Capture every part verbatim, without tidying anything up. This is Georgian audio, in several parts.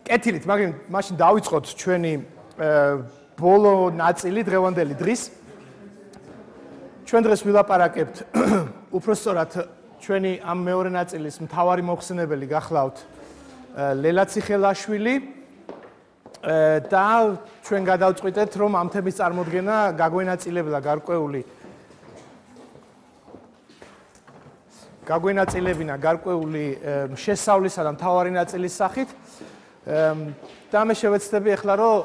კეთილით, მაგრამ მაშინ დავიწყოთ ჩვენი ბოლო ნაწილი დღევანდელი დღის. ჩვენ დღეს ვილაპარაკებთ უпростоრად ჩვენი ამ მეორე ნაწილის მთავარი მოხსენებელი გახლავთ ლელა ციხელაშვილი და ჩვენ გადავწყვიტეთ, რომ ამ თემის წარმოდგენა გაგვენაწილებლა გარკვეული გაგვენაწილებინა გარკვეული შესავლისა და მთავარი ნაწილის სახით. და მე შევეცდები ახლა, რომ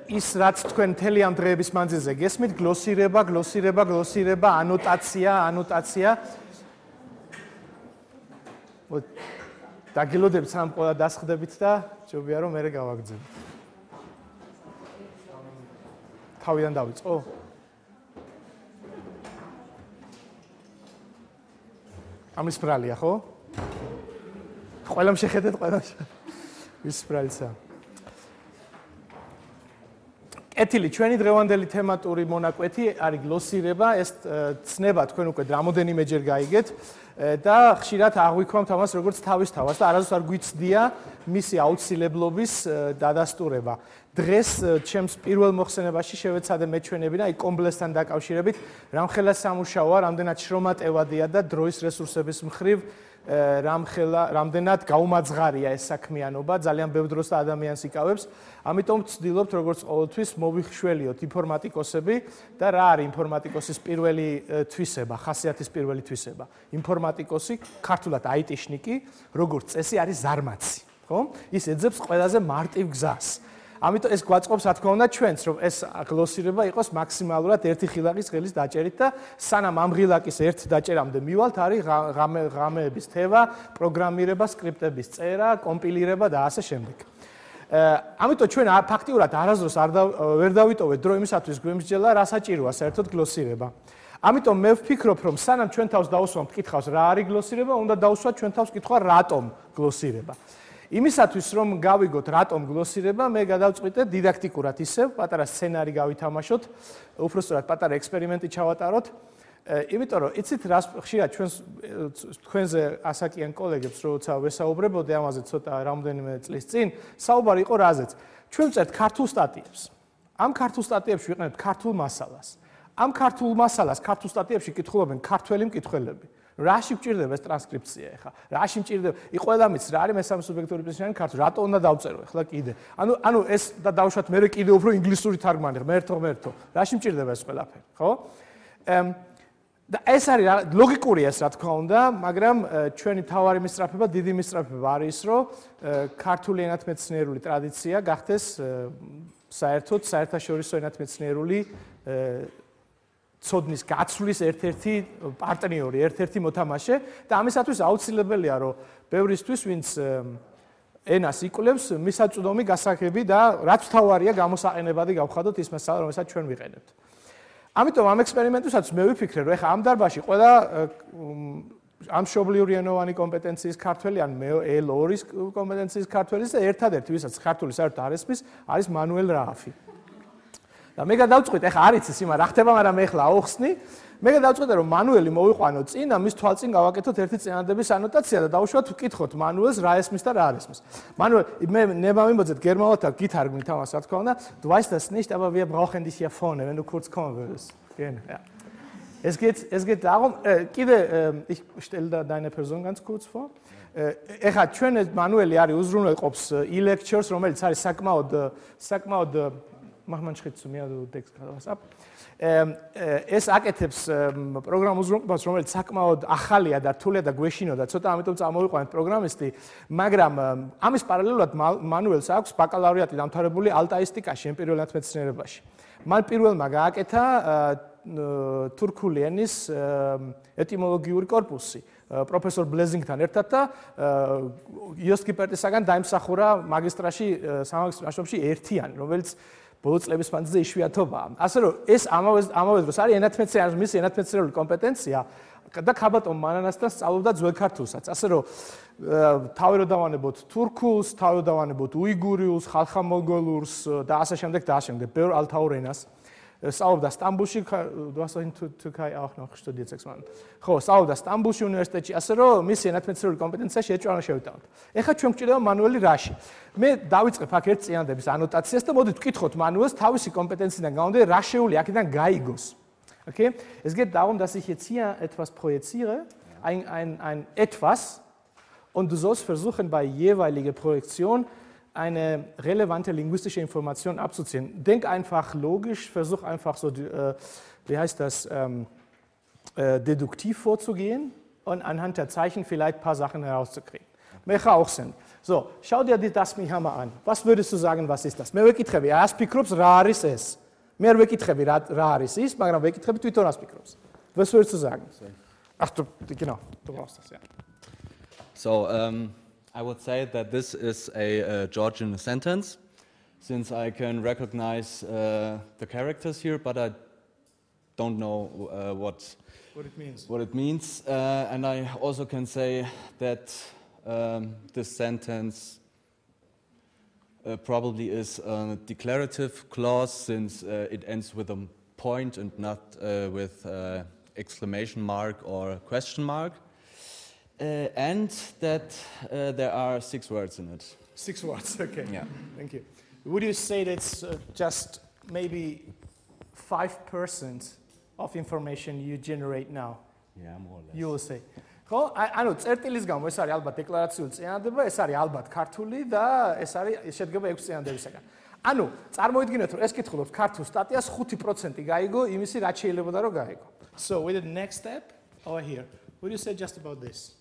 ის რაც თქვენ მთელი ამ დღეების მანძილზე გესმით, გლოსირება, გლოსირება, გლოსირება, ანოტაცია, ანოტაცია. დაგილოდებით სამ ყველა დასხდებით და ჯობია რომ მერე გავაგრძელოთ. თავიდან დავიწყო? ამის ბრალია, ხო? ყველამ შეხედეთ, ყველამ ის ბრალისა. კეთილი, ჩვენი დღევანდელი თემატური მონაკვეთი არის გლოსირება, ეს ცნება თქვენ უკვე რამოდენიმეჯერ გაიგეთ და ხშირად აღვიქვამთ ამას როგორც თავისთავად და არასდროს არ გვიცდია მისი აუცილებლობის დადასტურება. დღეს ჩემს პირველ მოხსენებაში შევეცადე მეჩვენებინა აი კომბლესთან დაკავშირებით, რამხელა სამუშაოა, რამდენად შრომატევადია და დროის რესურსების მხრივ რამხელა რამდენად გაუმაძღარია ეს საქმიანობა, ძალიან ბევრ დროს და ადამიანს იკავებს. ამიტომ ვცდილობთ როგორც ყოველთვის მოვიხშველიოთ ინფორმატიკოსები და რა არის ინფორმატიკოსის პირველი თვისება, ხასიათის პირველი თვისება. ინფორმატიკოსი, ქართულად აიტიშნიკი, როგორც წესი არის ზარმაცი, ხო? ის ეძებს ყველაზე მარტივ გზას. ამიტომ ეს გვაწყობს, რა თქმა უნდა, ჩვენც, რომ ეს გლოსირება იყოს მაქსიმალურად ერთი ხილაკის ღელის დაჭერით და სანამ ამ ღილაკის ერთ დაჭერამდე მივალთ, არის ღამეების თევა, პროგრამირება, სკრიპტების წერა, კომპილირება და ასე შემდეგ. ამიტომ ჩვენ ფაქტიურად არასდროს არ ვერ დავიტოვეთ დრო იმისათვის გვემსჯელა, რა საჭიროა საერთოდ გლოსირება. ამიტომ მე ვფიქრობ, რომ სანამ ჩვენ თავს დავუსვამთ კითხვას, რა არის გლოსირება, უნდა დავუსვათ ჩვენ თავს კითხვა, რატომ გლოსირება. იმისათვის რომ გავიგოთ რატომ გლოსირება, მე გადავწყვიტე დიდაქტიკურად ისევ პატარა სცენარი გავითამაშოთ, უბრალოდ პატარა ექსპერიმენტი ჩავატაროთ. იმიტომ რომ იცით რა ხშირად ჩვენს თქვენზე ასაკიან კოლეგებს როცა ვესაუბრებოდი ამაზე ცოტა რამდენიმე წლის წინ, საუბარი იყო რაზეც. ჩვენ წერთ ქართულ სტატიებს. ამ ქართულ სტატიებში ვიყენებთ ქართულ მასალას. ამ ქართულ მასალას ქართულ სტატიებში კითხულობენ ქართველი მკითხველები. რაში გვჭირდება ეს ტრანსკრიფცია ახლა? რაში მჭირდება? ი ყველა მის რა არის მესამე სუბიექტური პრეზიდენტი ქართული? რატო უნდა დავწერო ახლა კიდე? ანუ ანუ ეს და დავუშვათ მე კიდე უფრო ინგლისური თარგმანი, ღმერთო, ღმერთო. რაში მჭირდება ეს ყველაფერი, ხო? და ეს არის ლოგიკურია ეს რა თქმა უნდა, მაგრამ ჩვენი თავარი მისწრაფება, დიდი მისწრაფება არის ის, რომ ქართული ენათმეცნიერული ტრადიცია გახდეს საერთოდ საერთაშორისო ენათმეცნიერული ცოდნის გაცვლის ერთ-ერთი პარტნიორი, ერთ-ერთი მოთამაშე და ამისათვის აუცილებელია, რომ ბევრისთვის, ვინც ენას იკვლევს, მისაწვდომი გასაგები და რაც თავარია გამოსაყენებადი გავხადოთ ის მასალა, რომელსაც ჩვენ ვიყენებთ. ამიტომ ამ ექსპერიმენტუსაც მე ვიფიქრე, რომ ეხლა ამ დარბაზში ყველა ამ მშობლიური ენოვანი კომპეტენციის ქართველი, ან ელ ორის კომპეტენციის ქართველი და ერთადერთი, ვისაც ქართული საერთოდ არ ესმის, არის მანუელ რააფი. და მე გადავწყვიტე, ეხლა არ იცის იმა რა ხდება, მაგრამ მე ეხლა აუხსნი. მე გადავწყვიტე, რომ მანუელი მოვიყვანო წინ და მის თვალწინ გავაკეთოთ ერთი წინადადების ანოტაცია და დავუშვათ ვკითხოთ მანუელს რა ესმის და რა არ ესმის. მანუელ მე ნება მიმოძეთ გერმანულად და გითარგმნით ამას, რა თქმა უნდა. Du weißt das nicht, aber wir brauchen dich hier vorne, wenn du kurz kommen würdest. Genau, ja. Es geht es geht darum, კიდე ich stelle da deine Person ganz kurz vor. ეხლა ჩვენ მანუელი არის უზრუნველყოფს e-lectures, რომელიც არის საკმაოდ საკმაოდ mach mal einen Schritt zu mir, du deckst gerade was ab. ეს აკეთებს პროგრამ უზრუნველყოფას, რომელიც საკმაოდ ახალია და რთულია და გვეშინო და ცოტა ამიტომ წამოვიყვანეთ პროგრამისტი, მაგრამ ამის პარალელურად მანუელს აქვს ბაკალავრიატი დამთავრებული ალტაისტიკაში, ემპირიულ ენათმეცნიერებაში. მან პირველმა გააკეთა თურქული ენის ეტიმოლოგიური კორპუსი პროფესორ ბლეზინგთან ერთად და იოსტ კიპერტისაგან დაიმსახურა მაგისტრაში, სამაგისტრო ნაშრომში ერთიანი, რომელიც ბოლო წლების მანძილზე იშვიათობაა. ასე რომ ეს ამავე ამავე დროს არის ენათმეცნიერების მისი ენათმეცნიერული კომპეტენცია და ქაბატონ მანანასთან სწავლობდა ძველ ქართულსაც. ასე რომ თავი რო დავანებოთ თურქულს, თავი რო დავანებოთ უიგურიულს, ხალხამონგოლურს და ასე შემდეგ და ასე შემდეგ, ბევრ ალთაურ ენას. სწავლობდა სტამბულში, du hast in Türkei auch noch studiert sechs Monate. ხო, სწავლობდა სტამბულში უნივერსიტეტში, ასე რომ მისი ენათმედიცინური კომპეტენცია შეჭრა შევიტანოთ. ეხლა ჩვენ გვჭირდება მანუელი რაში? მე დავიწყებ აქ ერთ წინადების ანოტაციას და მოდით ვკითხოთ მანუელს თავისი კომპეტენციიდან გამომდინარე რა შეუძლია აქედან გაიგოს. Okay? Es geht darum, dass ich jetzt hier etwas projiziere, ein ein ein etwas und du sollst versuchen bei jeweiliger Projektion eine relevante linguistische Information abzuziehen. Denk einfach logisch, versuch einfach so, äh, wie heißt das, ähm, äh, deduktiv vorzugehen und anhand der Zeichen vielleicht ein paar Sachen herauszukriegen. Welche auch sind. So, schau dir das mir mal an. Was würdest du sagen, was ist das? Mehr wekitrebi, aspikrups, raris es. Mehr wekitrebi, raris ist, მაგრამ wekitrebi, twiton aspikrups. Was würdest du sagen? Ach, du, genau, du brauchst das, ja. So, um, I would say that this is a uh, Georgian sentence, since I can recognize uh, the characters here, but I don't know uh, what, what it means. What it means. Uh, and I also can say that um, this sentence uh, probably is a declarative clause, since uh, it ends with a point and not uh, with uh, exclamation mark or question mark. Uh, and that uh, there are six words in it. Six words, okay. Yeah. Thank you. Would you say that's uh, just maybe five percent of information you generate now? Yeah, more or less. You will say. ხო, ანუ წერტილის გამო ეს არის ალბათ დეკლარაციული წინადადება, ეს არის ალბათ ქართული და ეს არის შედგება ექვსი წინადადებისაგან. ანუ წარმოიდგინეთ რომ ეს კითხულობს ქართულ სტატიას ხუთი პროცენტი გაიგო იმისი რაც შეიძლებოდა რომ გაიგო. So with the next step over here. What do you say just about this?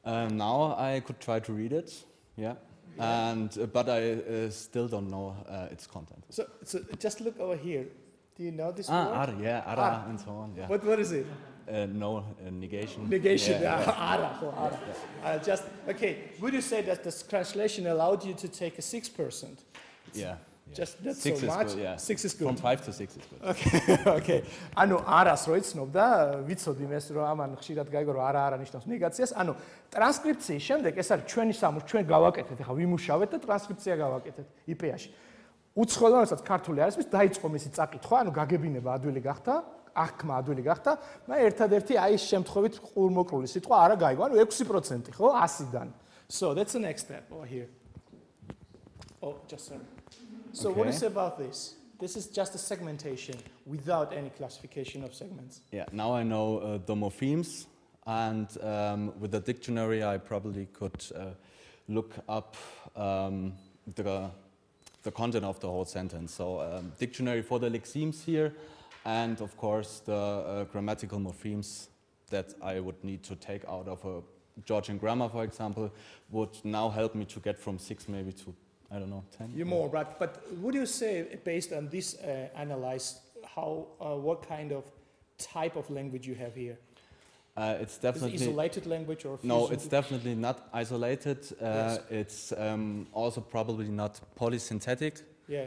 Um, now I could try to read it, yeah, yeah. and uh, but I uh, still don't know uh, its content. So, so just look over here. Do you know this ah, word? Ara, yeah, ara, Ara. and so on. Yeah. What what is it? Uh, no, uh, negation. Negation. Yeah, Yeah, yeah. Ara. So ara. Uh, just okay. Would you say that this translation allowed you to take a six percent? Yeah. Just not six so is much. Good, yeah. Six is good. From five to six is good. Okay, okay. ანუ არას რო იცნობდა, ვიცოდი მეს რომ ამან ხშირად გაიგო რომ არა არა ნიშნავს ნეგაციას. ანუ ტრანსკრიფციის შემდეგ ეს არის ჩვენი სამუშაო, ჩვენ გავაკეთეთ, ახლა ვიმუშავეთ და ტრანსკრიფცია გავაკეთეთ ай პი ე-ში. უცხოელად რასაც ქართული არის, მის დაიწყო მისი წაკითხვა, ანუ გაგებინება ადვილი გახდა, აღქმა ადვილი გახდა, მაგრამ ერთადერთი აი ეს შემთხვევით ყურმოკლული სიტყვა არა გაიგო, ანუ ექვსი პროცენტი, ხო, ასიდან. So that's the next step over here. Oh, just sorry. So okay. What is about this? This is just a segmentation without any classification of segments. Yeah, now I know uh, the morphemes, and um, with the dictionary I probably could uh, look up um, the, the content of the whole sentence. So um, dictionary for the lexemes here, and of course the uh, grammatical morphemes that I would need to take out of a Georgian grammar, for example, would now help me to get from six maybe to I don't know, ten? You're more, but, but would you say, based on this uh, analyze, how, uh, what kind of type of language you have here? Uh, it's definitely... Is it isolated language or... No, it's definitely not isolated. Uh, yes. It's um, also probably not polysynthetic. Yeah,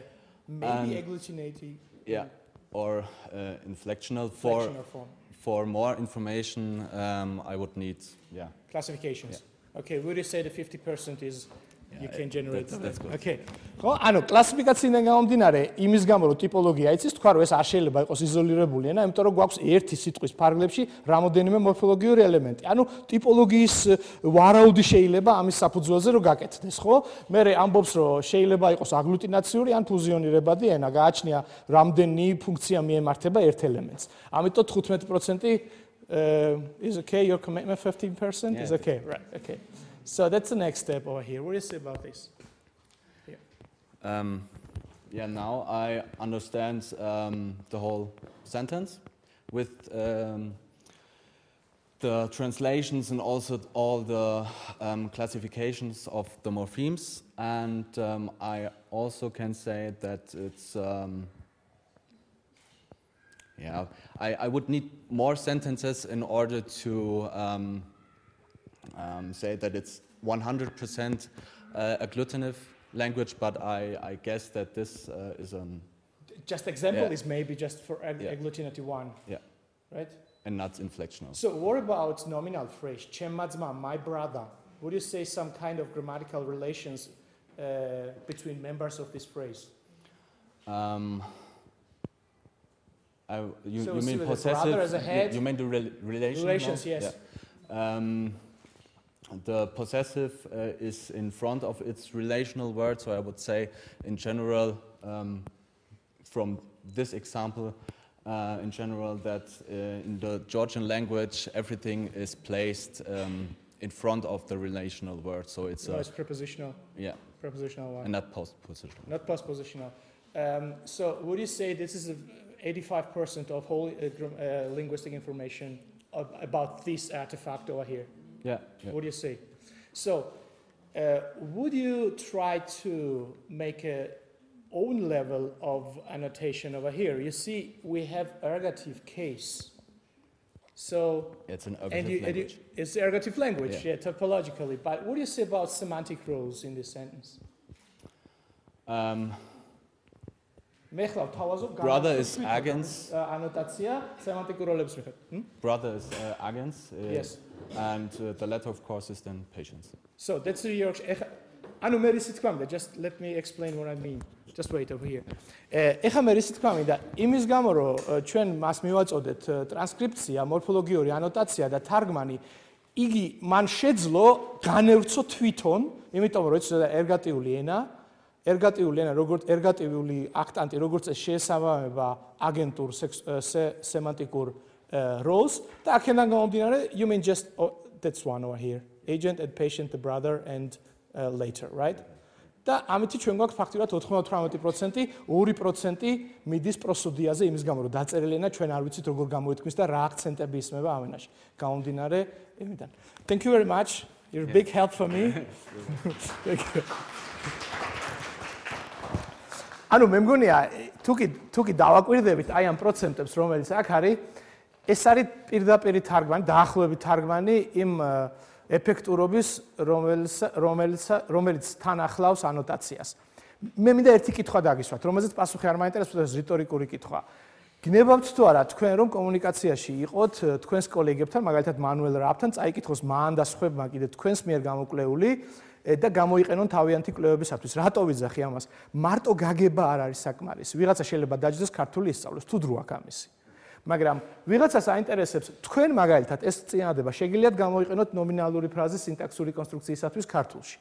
maybe agglutinating. Yeah, or uh, inflectional. Inflectional for, form. For more information, um, I would need, yeah. Classifications. Yeah. Okay, would you say the fifty percent is... Yeah, you can generate that's, that's good. Okay. ხო, ანუ კლასიფიკაციიდან გამომდინარე, იმის გამო რომ ტიპოლოგია იცის, თქვა რომ ეს არ შეიძლება იყოს იზოლირებული ენა, იმიტომ რომ გვაქვს ერთი სიტყვის ფარგლებში რამოდენიმე მორფოლოგიური ელემენტი. ანუ ტიპოლოგიის ვარაუდი შეიძლება ამის საფუძველზე რომ გაკეთდეს, ხო? მე ამბობს რომ შეიძლება იყოს აგლუტინაციური ან ფუზიონირებადი ენა, გააჩნია რამდენი ფუნქცია მიემართება ერთ ელემენტს. ამიტომ თხუთმეტი პროცენტი is okay, your commitment fifteen percent yeah, is okay, right? Okay. So that's the next step over here. What do you say about this? Yeah, um, yeah now I understand um, the whole sentence with um, the translations and also all the um, classifications of the morphemes. And um, I also can say that it's, um, yeah, I, I would need more sentences in order to um, Um, say that it's one hundred percent uh, agglutinative language, but I, I guess that this uh, is an... Just example yeah. is maybe just for ag yeah. agglutinative one, yeah. right? And not inflectional. So what about nominal phrase, Chemadzma, my brother? Would you say some kind of grammatical relations uh, between members of this phrase? Um, I, you, So you mean see with the possessive? brother as a head? You, you mean the rel relation? Relations, no? yes. Yeah. Um, the possessive uh, is in front of its relational word, so I would say, in general, um, from this example, uh, in general, that uh, in the Georgian language, everything is placed um, in front of the relational word, so it's No, a, it's prepositional. yeah, Prepositional one. and not postpositional. Not postpositional. Um, so would you say this is eighty-five percent of whole uh, uh, linguistic information of, about this artifact over here? Yeah. yeah. What do you say? So uh, would you try to make a own level of annotation over here? You see, we have ergative case. So It's an and ergative you, and you, language. it's ergative language, yeah. Yeah. yeah, topologically. But what do you say about semantic roles in this sentence? Um, მეხლა ვთავაზობ Brother is agens. ანოტაცია სემანტიკურ როლებს მიხედვით. Brother is uh, agens. Uh, Yes. And uh, the letter, of course, is then patience. So that's the your ანუ მე რისი თქვა მინდა, just let me explain what I mean. Just wait over here. ეხლა მე რისი თქვა მინდა, იმის გამო რომ ჩვენ მას მივაწოდეთ ტრანსკრიფცია, მორფოლოგიური ანოტაცია და თარგმანი, იგი მან შეძლო განევრცო თვითონ, იმიტომ რომ ეს ერგატიული ენა, ერგატიული ენა, როგორც ერგატიული აქტანტი, როგორც ეს შეესაბამება აგენტურ სემანტიკურ roles და აქედან გამომდინარე, you mean just oh, that's one over here. Agent and patient, the brother and uh, later, right? და ამით ჩვენ გვაქვს ფაქტიურად ოცდაოთხ პროცენტი, ორი პროცენტი მიდის პროსოდიაზე, იმის გამო რომ დაწერილი ენა ჩვენ არ ვიცით როგორ გამოითქმის და რა აქცენტები ისმება ამ ენაში. გამომდინარე იმიდან. Thank you very much. You're a big help for me. Thank you. ანუ მე მგონია თუ კი თუ კი დავაკვირდებით აი ამ პროცენტებს რომელიც აქ არის, ეს არის პირდაპირ თარგმანი, დაახლოებით თარგმანი იმ ეფექტურობის, რომელიც რომელიც რომელიც თან ახლავს ანოტაციას. მე მინდა ერთი კითხვა დაგისვათ, რომელზეც პასუხი არ მაინტერესებს, ეს რიტორიკული კითხვა. გნებავთ თუ არა თქვენ რომ კომუნიკაციაში იყოთ თქვენს კოლეგებთან, მაგალითად მანუელ რაფთან, წაიკითხოს მან და სხვებმა კიდე თქვენს მიერ გამოკვლეული და გამოიყენონ თავიანთი კვლევებისათვის. რატო ვიძახი ამას? მარტო გაგება არ არის საკმარისი. ვიღაცა შეიძლება დაჯდეს ქართული ისწავლოს, თუ დრო აქვს ამისი. მაგრამ ვიღაცას აინტერესებს თქვენ მაგალითად ეს წინადადება შეგიძლიათ გამოიყენოთ ნომინალური ფრაზის სინტაქსური კონსტრუქციისათვის ქართულში.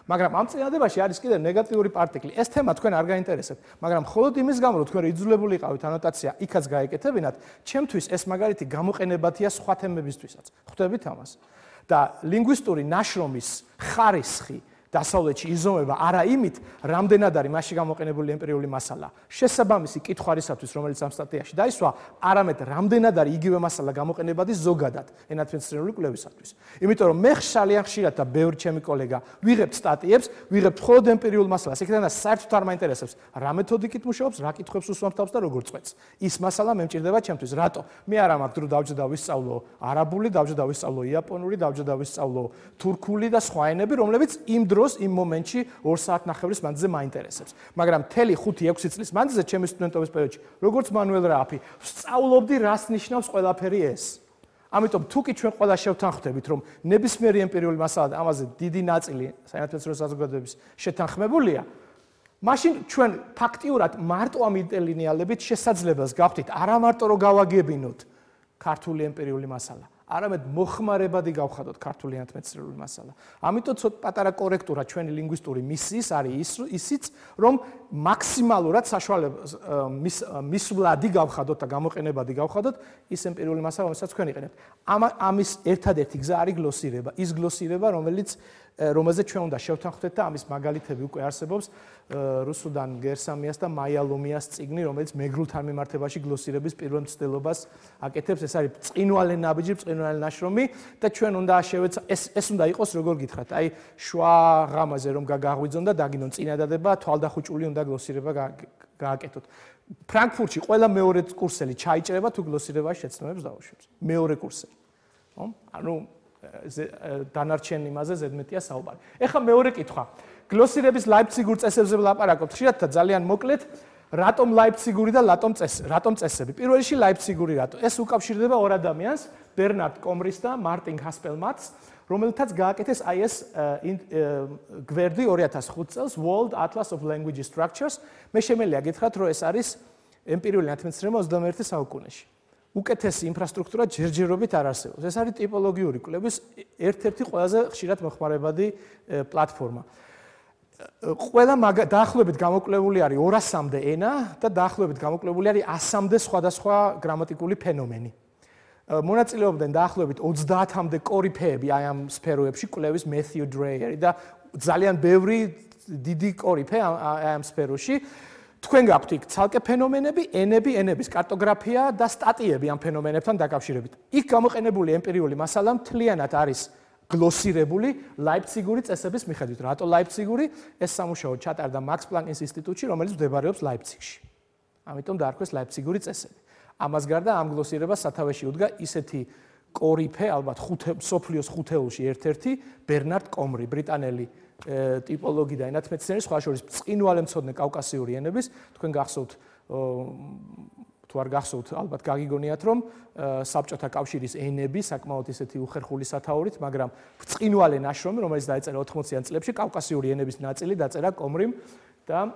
მაგრამ ამ წინადადებაში არის კიდევ ნეგატიური პარტიკლი. ეს თემა თქვენ არ გაინტერესებთ, მაგრამ მხოლოდ იმის გამო რომ თქვენ იძულებული იყავით ანოტაცია იქაც გაეკეთებინათ, ჩემთვის ეს მაგალითი გამოყენებადია სხვა თემებისთვისაც. ხვდებით ამას? და ლინგვისტური ნაშრომის ხარისხი დასავლეთში იზომება არა იმით, რამდენად არის მასში გამოყენებული ემპირიული მასალა. შესაბამისი კითხვარისათვის, რომელიც ამ სტატიაში დაისვა, არამედ რამდენად არის იგივე მასალა გამოყენებადი ზოგადად ენათმეცნიერული კვლევისათვის. იმიტომ რომ მე ძალიან ხშირად და ბევრი ჩემი კოლეგა ვიღებთ სტატიებს, ვიღებთ მხოლოდ ემპირიულ მასალას, იქიდან საერთოდ არ მაინტერესებს, რა მეთოდიკით მუშაობს, რა კითხვებს უსვამს თავს და როგორ წვეთს. ის მასალა მე მჭირდება ჩემთვის. რატო? მე არა მაქვს დრო დავჯდა და ვისწავლო არაბული, დავჯდა და ვისწავლო იაპონური, დავჯდა და ვისწავლო თურქული და სხვა ენები, რომლებიც იმ დრო იმ მომენტში ორ საათნახევრის მანძილზე მაინტერესებს. მაგრამ მთელი ხუთი ექვსი წლის მანძილზე ჩემი სტუდენტობის პერიოდში, როგორც მანუელ რაფი, ვსწავლობდი რას ნიშნავს ყველაფერი ეს. ამიტომ თუ კი ჩვენ ყველა შევთანხმდებით, რომ ნებისმიერი ემპირიული მასალა და ამაზე დიდი ნაწილი საინტერესო საზოგადოების შეთანხმებულია, მაშინ ჩვენ ფაქტიურად მარტო ამ ინტელინეალებით შესაძლებელს გავხდით არა მარტო რომ გავაგებინოთ ქართული ემპირიული მასალა, არამედ მოხმარებადი გავხადოთ ქართული ენათმეცნიერული მასალა. ამიტომ ცოტა პატარა კორექტურა ჩვენი ლინგვისტური მისიის არის ისიც, რომ მაქსიმალურად საშუალებას მისვლადი გავხადოთ და გამოყენებადი გავხადოთ ის ემპირიული მასალა, რომელსაც თქვენ იყენებთ. ამის ერთადერთი გზა არის გლოსირება, ის გლოსირება, რომელიც რომელზეც ჩვენ უნდა შევთანხმდეთ და ამის მაგალითები უკვე არსებობს რუსუდან გერსამიას და მაიალომიას წიგნი, რომელიც მეგრულთან მიმართებაში გლოსირების პირველ მცდელობას აკეთებს. ეს არის წინვალე ნაბიჯი, წინვალე ნაშრომი და ჩვენ უნდა შევეცა ეს ეს უნდა იყოს როგორ გითხრათ, აი შუა ღამაზე რომ გაგაღვიძონ და დაგინონ წინადადება, თვალდახუჭული უნდა გლოსირება გააკეთოთ. ფრანკფურტში ყველა მეორე კურსელი ჩაიჭრება თუ გლოსირებაში შეცნობებს დაუშვებს. მეორე კურსელი. ხო? ანუ დანარჩენ იმაზე ზედმეტია საუბარი. ეხლა მეორე კითხვა. გლოსირების ლაიფციგურ წესებზე ვლაპარაკობთ. ხშირად და ძალიან მოკლედ, რატომ ლაიფციგური და რატომ წესი? რატომ წესები? პირველ რიგში ლაიფციგური რატო? ეს უკავშირდება ორ ადამიანს, ბერნარდ კომრის და მარტინ ჰასპელმატს, რომელთაც გააკეთეს აი ეს გვერდი ორი ათას ხუთი წელს World Atlas of Language Structures. მე შემელია გითხრათ, რომ ეს არის ემპირიული ნათმეცნიერება ოცდამეერთე საუკუნეში. უკეთესი ინფრასტრუქტურა ჯერჯერობით არ არსებობს. ეს არის ტიპოლოგიური კვლევის ერთ-ერთი ყველაზე ხშირად მოხმარებადი პლატფორმა. ყველა დაახლოებით გამოკვლეული არის ორასამდე ენა და დაახლოებით გამოკვლეული არის ასამდე სხვადასხვა გრამატიკული ფენომენი. მონაწილეობდნენ დაახლოებით ოცდაათამდე კორიფეები აი ამ სფეროებში, კვლევის Matthew Dreyer და ძალიან ბევრი დიდი კორიფე აი ამ სფეროში. თქვენ გაქვთ იქ ცალკე ფენომენები, ენები, ენების კარტოგრაფია და სტატიები ამ ფენომენებთან დაკავშირებით. იქ გამოყენებული ემპირიული მასალა მთლიანად არის გლოსირებული ლაიფციგური წესების მიხედვით. რატო ლაიფციგური? ეს სამუშაო ჩატარდა Max Planck-ის ინსტიტუტში, რომელიც მდებარეობს ლაიფციგში. ამიტომ დაარქვეს ლაიფციგური წესები. ამას გარდა ამ გლოსირებას სათავეში უდგა ისეთი კორიფე, ალბათ მსოფლიოს ხუთეულში ერთ-ერთი ბერნარდ კომრი, ბრიტანელი ტიპოლოგი და ენათმეცნიერი, სხვა შორის ბრწყინვალე კავკასიური ენების. თქვენ გახსოვთ თუ არ გახსოვთ, ალბათ გაგიგონიათ, რომ საბჭოთა კავშირის ენები საკმაოდ ისეთი უხერხული სათაურით, მაგრამ ბრწყინვალე ნაშრომი, რომელიც დაეწერა ოთხმოციან წლებში, კავკასიური ენების ნაწილი დაწერა კომრიმ და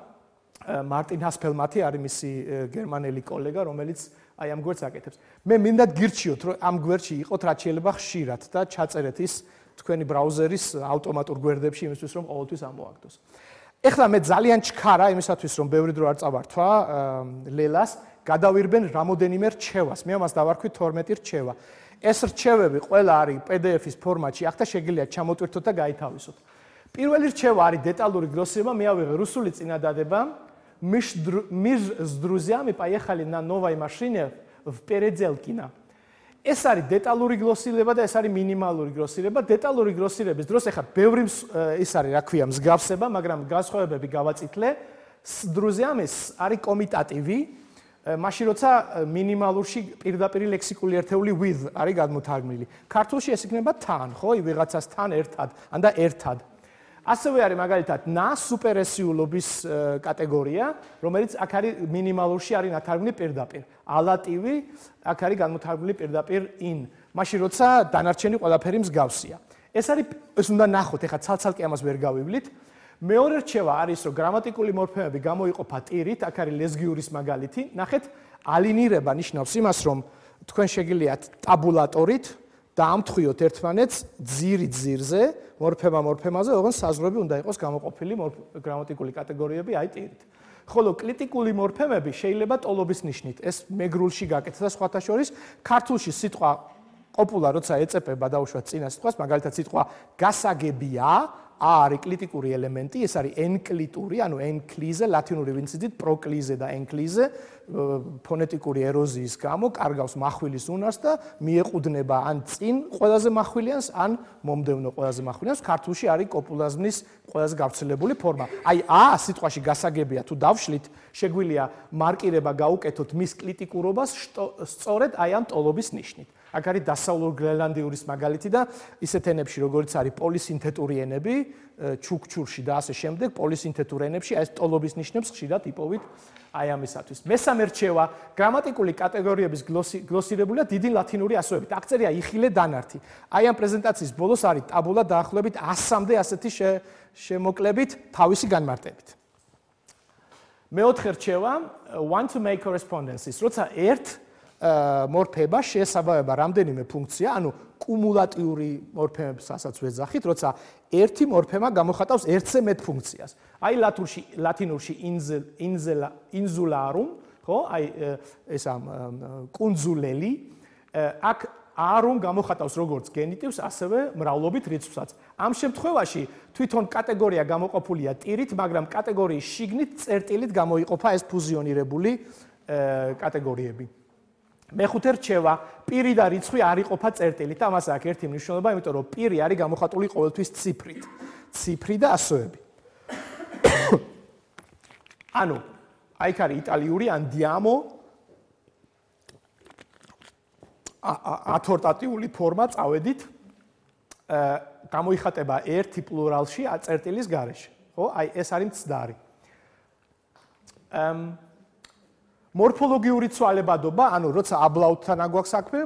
მარტინ ჰასფელმათი არის მისი გერმანელი კოლეგა, რომელიც აი ამ გვერდს აკეთებს. მე მინდა გირჩიოთ, რომ ამ გვერდში იყოთ რაც შეიძლება ხშირად და ჩაწერეთ ის თქვენი ბრაუზერის ავტომატურ გვერდებში იმისთვის, რომ ყოველთვის ამოაგდოს. ეხლა მე ძალიან ჩქარა იმისათვის, რომ ბევრი დრო არ წავართვა ლელას, გადავირბენ რამოდენიმე რჩევას. მე ამას დავარქვი თორმეტი რჩევა. ეს რჩევები ყველა არის პი დი ეფ-ის ფორმატში, ახლა შეგიძლიათ ჩამოტვირთოთ და გაითავისოთ. პირველი რჩევა არის დეტალური გლოსირება, მე ავიღე რუსული წინადადება. Мир с друзьями поехали на новой машине в Переделкино. ეს არის დეტალური გლოსირება და ეს არის მინიმალური გლოსირება. დეტალური გლოსირების დროს ახლა ბევრი ის არის, რა ქვია, მსგავსება, მაგრამ განსხვავებები გავაწითლე. с друзьями არის კომიტატივი, მაშინ როცა მინიმალურში პირდაპირ ლექსიკული ერთეული with არის გადმოთარგმნილი. ქართულში ეს იქნება თან, ხო? ვიღაცასთან ერთად, ან და ერთად. ასევე არის მაგალითად ნა სუპერესიულობის კატეგორია, რომელიც აქ არის მინიმალურში არის ნათარგმნი პირდაპირ. ალატივი აქ არის განმოთარგმნილი პირდაპირ in. მაშინ როცა დანარჩენი ყველაფერი მსგავსია. ეს არის ეს უნდა ნახოთ, ეხლა ცალ-ცალკე ამას ვერ გავივლით. მეორე რჩევა არის, რომ გრამატიკული მორფემები გამოიყოფა ტირით, აქ არის ლესგიურის მაგალითი. ნახეთ, ალინირება ნიშნავს იმას, რომ თქვენ შეგიძლიათ ტაბულატორით დაამთხვიოთ ერთმანეთს ძირი ძირზე, მორფემა მორფემაზე, ოღონდ საზღვრები უნდა იყოს გამოყოფილი გრამატიკული კატეგორიები აი ტირით. ხოლო კრიტიკული მორფემები შეიძლება ტოლობის ნიშნით. ეს მეგრულში გაკეთდა სხვათა შორის, ქართულში სიტყვა ყოფულა როცა ეწეპება დაუშვათ წინა სიტყვას, მაგალითად სიტყვა გასაგებია, ა არის კრიტიკური ელემენტი, ეს არის ენკლიტური, ანუ ენკლიზე, ლათინური ვინციდით პროკლიზე და ენკლიზე, ფონეტიკური ეროზიის გამო კარგავს מחვილის უნარს და მიეყუდნება ან წინ ყველაზე מחვილიანს, ან მომდევნო ყველაზე מחვილიანს. ქართულში არის კოპულაზმის ყველაზე გავრცელებული ფორმა. აი ა სიტყვაში გასაგებია თუ დავშლით, შეგვიძლია მარკირება გაუკეთოთ მის კრიტიკურობას სწორედ აი ამ ტოლობის ნიშნით. აქ არის დასავლურ გრენლანდიურის მაგალითი და ისეთ ენებში, როგორც არის პოლისინთეტური ენები, ჩუქჩურში და ასე შემდეგ, პოლისინთეტურ ენებში ეს ტოლობის ნიშნებს ხშირად იპოვით აი ამისათვის. მესამე რჩევა, გრამატიკული კატეგორიების გლოსირებულია დიდი ლათინური ასოებით. აქ წერია იხილე დანართი. აი ამ პრეზენტაციის ბოლოს არის ტაბულა დაახლოებით ასამდე ასეთი შემოკლებით თავისი განმარტებით. მეოთხე რჩევა, want to make correspondences. როცა ერთ მორფემა შეესაბამება რამდენიმე ფუნქცია, ანუ კუმულატიური მორფემებსაც ვეძახით, როცა ერთი მორფემა გამოხატავს ერთზე მეტ ფუნქციას. აი ლათურში, ლათინურში ინზელა, ინზულარუმ, ხო? აი ეს ამ კუნძულელი, აქ არუმ გამოხატავს როგორც გენიტივს, ასევე მრავლობით რიცხვსაც. ამ შემთხვევაში თვითონ კატეგორია გამოყოფილია ტირით, მაგრამ კატეგორიის შიგნით წერტილით გამოიყოფა ეს ფუზიონირებული კატეგორიები. მეხუთე რჩევა, პირი და რიცხვი არ იყოფა წერტილით. ამას აქვს ერთი მნიშვნელობა, იმიტომ რომ პირი არის გამოხატული ყოველთვის ციფრით. ციფრი და ასოები. ანუ, აი იქ არის იტალიური andiamo ათორტატიული ფორმა წავედით. გამოიხატება ერთი პლურალში წერტილის გარეშე. ხო? აი ეს არის მცდარი. მორფოლოგიური ცვალებადობა, ანუ როცა აბლაუტთან აგვაქვს საქმე,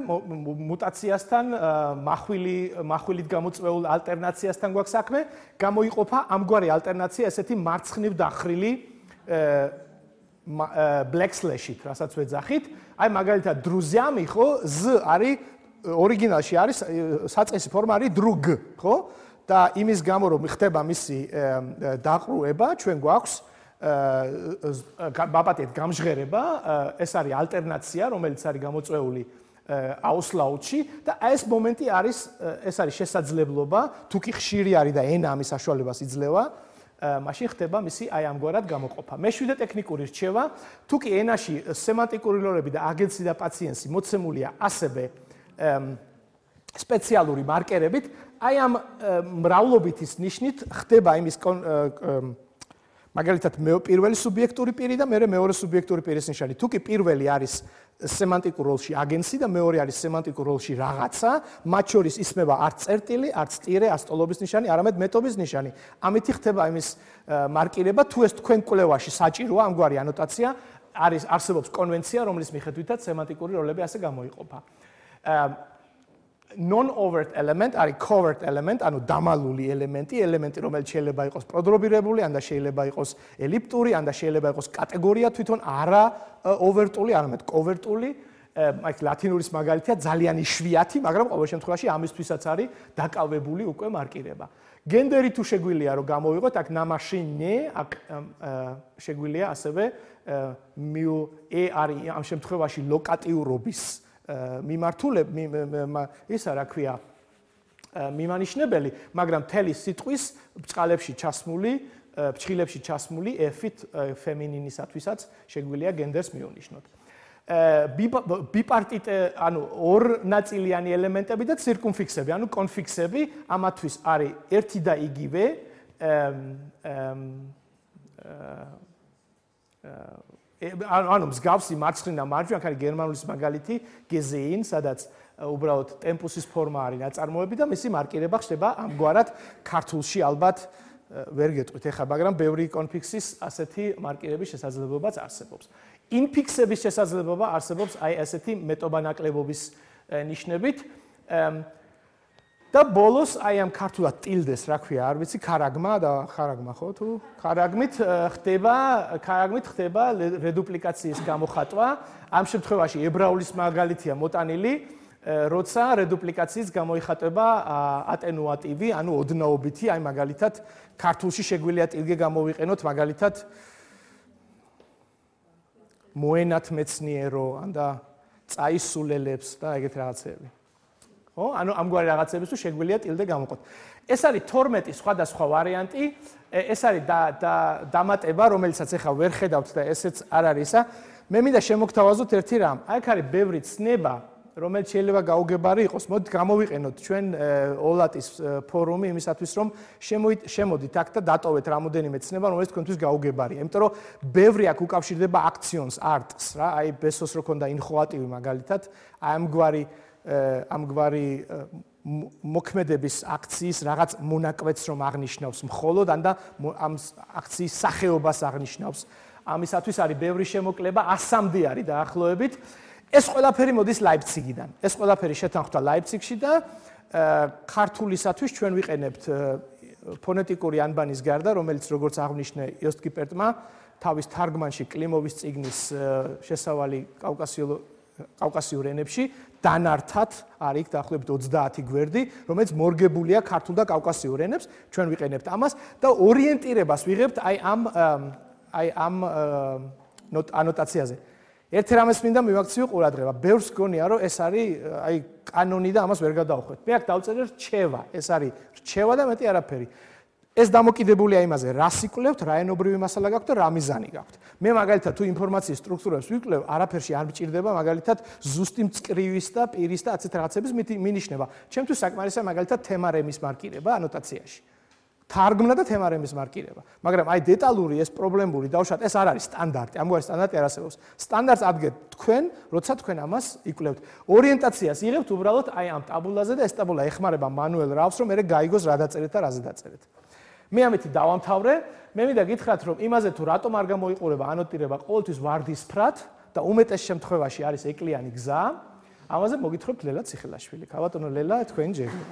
მუტაციასთან, მახვილი, mahვილით გამოწვეულ ალტერნაციასთან გვაქვს საქმე, გამოიყოფა ამგვარი ალტერნაცია ესეთი მარცხნივ დახრილი black slash-ით, რასაც ვეძახით. აი მაგალითად დრუზიამი, ხო, z არის ორიგინალში არის საწყისი ფორმა არის დრუგ, ხო? და იმის გამო რომ ხდება მისი დაყრუება, ჩვენ გვაქვს ბაპატეთ გამჟღერება, ეს არის ალტერნაცია, რომელიც არის გამოწვეული აუსლაუთში და ეს მომენტი არის, ეს არის შესაძლებლობა, თუ კი ხშირი არის და ენა ამის საშუალებას იძლევა, მაშინ ხდება მისი აი ამგვარად გამოყოფა. მეშვიდე ტექნიკური რჩევა, თუ კი ენაში სემანტიკური როლები და აგენცი და პაციენსი მოცემულია ასევე სპეციალური მარკერებით, აი ამ მრავლობითის ნიშნით ხდება იმის მაგალითად პირველი სუბიექტური პირი და მეორე მეორე სუბიექტური პირის ნიშანი. თუ კი პირველი არის სემანტიკურ როლში აგენცი და მეორე არის სემანტიკურ როლში რაღაცა, მათ შორის ისმება არც წერტილი, არც ტირე, ასტოლობის ნიშანი, არამედ მეტობის ნიშანი. ამითი ხდება იმის მარკირება, თუ ეს თქვენ კვლევაში საჭიროა, ამგვარი ანოტაცია არის არსებობს კონვენცია, რომლის მიხედვითაც სემანტიკური როლები ასე გამოიყოფა. non-overt element არის covert element, ანუ დამალული ელემენტი, ელემენტი, რომელიც შეიძლება იყოს პროდრობირებული, ან და შეიძლება იყოს ელიფტური, ან და შეიძლება იყოს კატეგორია თვითონ არა overtული, არამედ covertული. აი ლათინურის მაგალითია ძალიან იშვიათი, მაგრამ ყოველ შემთხვევაში ამისთვისაც არის დაკავებული უკვე მარკირება. გენდერი თუ შეგვიძლია რომ გამოვიღოთ, აქ ნამაშინე, აქ შეგვიძლია ასევე მიუ ე არის ამ შემთხვევაში ლოკატიურობის მიმართულები ისა რა ქვია მიმანიშნებელი, მაგრამ თელი სიტყვის ბწყალებში ჩასმული, ფრჩხილებში ჩასმული f-ით ფემინინისათვისაც შეგვიძლია გენდერს მივნიშნოთ. ბიპარტიტე, ანუ ორნაწილიანი ელემენტები და ცირკუმფიქსები, ანუ კონფიქსები, ამათვის არის ერთი და იგივე ანუ მსგავსი მარცხნიდან მარჯვენა, აქ არის გერმანულის მაგალითი gesehen, სადაც უბრალოდ ტემპუსის ფორმა არის ნაწარმოები და მისი მარკირება ხდება ამგვარად ქართულში ალბათ ვერ გეტყვით ეხლა, მაგრამ ბევრი კონფიქსის ასეთი მარკირების შესაძლებლობაც არსებობს. ინფიქსების შესაძლებლობა არსებობს აი ასეთი მეტობანაკლებობის ნიშნებით. და ბოლოს აი ამ ქართულად ტილდეს, რა ქვია, არ ვიცი, ქარაგმა და ხარაგმა ხო თუ ქარაგმით ხდება, ქარაგმით ხდება რედუპლიკაციის გამოხატვა. ამ შემთხვევაში ებრაულის მაგალითია მოტანილი, როცა რედუპლიკაციის გამოიხატება ატენუატივი, ანუ ოდნაობითი, აი მაგალითად ქართულში შეგვიძლია ტილგე გამოვიყენოთ, მაგალითად მოენათ მეცნიერო, ან და წაისულელებს და ეგეთ რაღაცები. ხო, ანუ ამგვარი რაღაცების თუ შეგვიძლია ტილდე გამოყოთ. ეს არის თორმეტი სხვადასხვა ვარიანტი, ეს არის დამატება, რომელიცაც ახლა ვერ ხედავთ და ესეც არ არის ისა. მე მინდა შემოგთავაზოთ ერთი რამ. აი აქ არის ბევრი ცნება, რომელიც შეიძლება გაუგებარი იყოს. მოდით გამოვიყენოთ ჩვენ ოლატის ფორუმი იმისათვის, რომ შემოდით აქ და დატოვეთ რამოდენიმე ცნება, რომელიც თქვენთვის გაუგებარია. იმიტომ რომ ბევრი აქ უკავშირდება აქციონს, არტს, რა, აი ბესოს რო ქონდა ინხოატივი მაგალითად, აი ამგვარი ამგვარი მოქმედების აქციის რაღაც მონაკვეთს რომ აღნიშნავს მხოლოდ ან და ამ აქციის სახეობას აღნიშნავს. ამისათვის არის ბევრი შემოკლება, ასამდე არის დაახლოებით. ეს ყველაფერი მოდის ლაიფციგიდან. ეს ყველაფერი შეთანხმდა ლაიფციგში და ქართულისათვის ჩვენ ვიყენებთ ფონეტიკური ანბანის გარდა, რომელიც როგორც აღნიშნე იოსტ კიპერტმა თავის თარგმანში კლიმოვის წიგნის შესავალი კავკასიურ ენებში დანართად არის დაახლოებით ოცდაათი გვერდი, რომელიც მორგებულია ქართულ და კავკასიურ ენებს, ჩვენ ვიყენებთ ამას და ორიენტირებას ვიღებთ აი ამ აი ამ ანოტაციაზე. ერთი რამეს მინდა მივაქციო ყურადღება. ბევრს გონია, რომ ეს არის აი კანონი და ამას ვერ გადავხვეთ. მე აქ დავწერე რჩევა, ეს არის რჩევა და მეტი არაფერი. ეს დამოკიდებულია იმაზე, რა სიკვლევთ, რა ენობრივი მასალა გაქვთ და რა მიზანი გაქვთ. მე მაგალითად თუ ინფორმაციის სტრუქტურებს ვიკვლევ, არაფერში არ მჭირდება მაგალითად ზუსტი მწკრივის და პირის და ასეთ რაღაცების მინიშნება. ჩემთვის საკმარისია მაგალითად თემარემის მარკირება ანოტაციაში. თარგმნა და თემარემის მარკირება. მაგრამ აი დეტალური ეს პრობლემური დავშათ, ეს არ არის სტანდარტი, ამგვარი სტანდარტი არ არსებობს. სტანდარტს ადგენთ თქვენ, როცა თქვენ ამას იკვლევთ. ორიენტაციას იღებთ უბრალოდ აი ამ ტაბულაზე და ეს ტაბულა ეხმარება მანუელ რავს, რომ მე გაიგოს რა დაწერეთ და რაზე დაწერეთ. მე ამით დავამთავრე, მე მინდა გითხრათ, რომ იმაზე თუ რატომ არ გამოიყურება ანოტირება ყოველთვის ვარდისფრად, და უმეტეს შემთხვევაში არის ეკლიანი გზა. ამაზე მოგითხრობთ ლელა ციხილაშვილი. ქაბატონო ლელა, თქვენი ჯერია.